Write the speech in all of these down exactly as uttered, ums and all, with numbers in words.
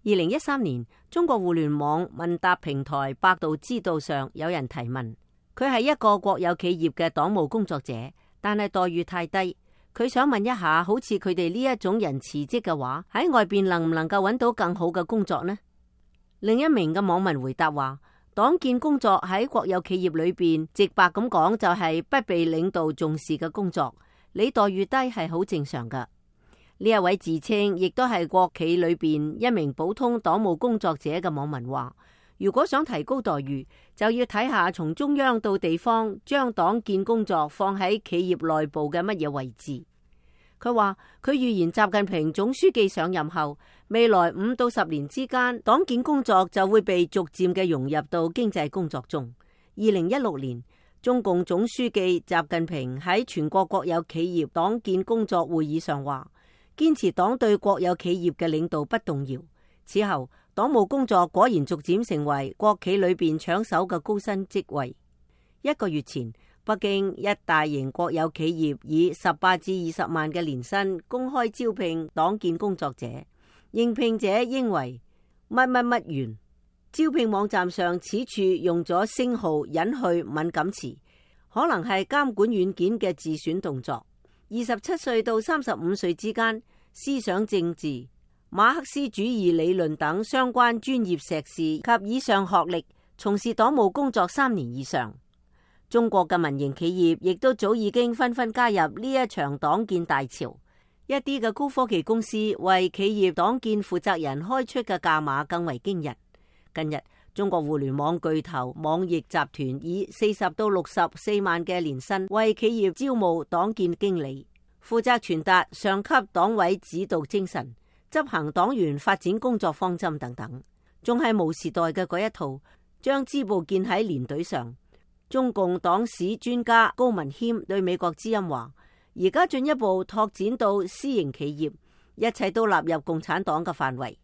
二零一三年，中國互聯網問答平台百度知道上有人提問，佢係一個國有企業嘅黨務工作者，但係待遇太低。佢想問一下，好似佢哋呢一種人辭職嘅話，喺外邊能唔能夠揾到更好嘅工作呢？另一名嘅網民回答話，黨建工作喺國有企業裏邊，直白咁講就係不被領導重視嘅工作，你待遇低係好正常噶。呢一位自稱亦都係國企裏邊一名普通黨務工作者嘅網民話，如果想提高待遇，就要睇下從中央到地方將黨建工作放喺企業內部嘅乜嘢位置。佢話佢預言習近平總書記上任後，未來五到十年之間，黨建工作就會被逐漸嘅融入到經濟工作中。二零一六年，中共總書記習近平喺全國國有企業黨建工作會議上話，堅持黨對國有企業嘅領導不動搖。此後，黨務工作果然逐漸成為國企裏邊搶手嘅高薪職位。一個月前，北京一大型國有企業以十八至二十萬嘅年薪公開招聘黨建工作者，應聘者應為乜乜乜員。招聘網站上此處用咗星號隱去敏感詞，可能係監管軟件嘅自選動作。二十七歲到三十五歲之間，思想政治、馬克思主義理論等相關專業碩士及以上學歷，從事黨務工作三年以上。中國嘅民營企業亦都早已經紛紛加入呢一場黨建大潮。一啲嘅高科技公司為企業黨建負責人開出嘅價碼更為驚人。近日，中國互聯網巨頭網易集團以四十到六十四萬嘅年薪為企業招募黨建經理，負責傳達上級黨委指導精神，執行黨員發展工作方針等等，仲係毛時代嘅嗰一套，將支部建喺連隊上。中共黨史專家高文謙對美國之音話，而家進一步拓展到私營企業，一切都納入共產黨嘅範圍。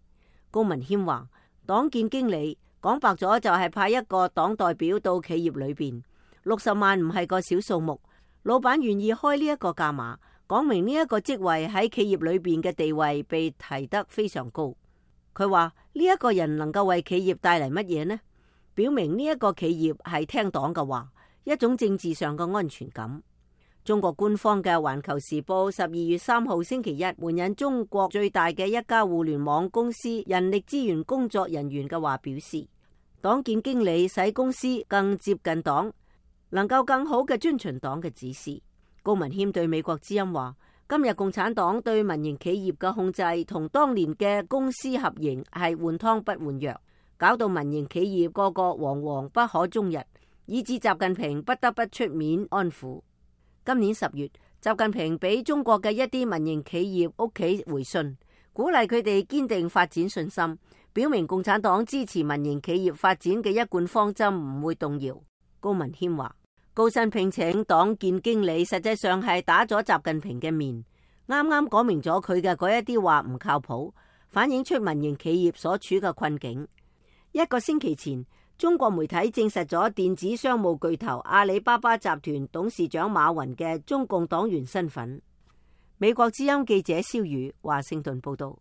高文謙話，黨建經理講白咗就係派一個黨代表到企業裏邊，六十萬唔係個小數目，老闆願意開呢一個價碼，講明呢一個職位喺企業裏邊嘅地位被提得非常高。佢話呢一個人能夠為企業帶嚟乜嘢呢？表明呢一個企業係聽黨嘅話，一種政治上嘅安全感。中國官方嘅《環球時報》十二月三號星期一援引中國最大嘅一家互聯網公司人力資源工作人員嘅話表示，黨建經理使公司更接近黨，能夠更好嘅遵循黨嘅指示。高文謙對美國之音話，今日共產黨對民營企業嘅控制同當年嘅公私合營係換湯不換藥，搞到民營企業個個惶惶不可終日，以致習近平不得不出面安撫。今年十月，習近平俾中國嘅一啲民營企業屋企回信，鼓勵佢哋堅定發展信心，表明共產黨支持民營企業發展嘅一貫方針唔會動搖。高文謙話，高薪聘請黨建經理，實際上係打咗習近平嘅面，啱啱講明咗佢嘅嗰一啲話唔靠譜，反映出民營企業所處嘅困境。一個星期前，中國媒體證實咗電子商務巨頭阿里巴巴集團董事長馬雲嘅中共黨員身份。美國之音記者蕭宇華盛頓報道。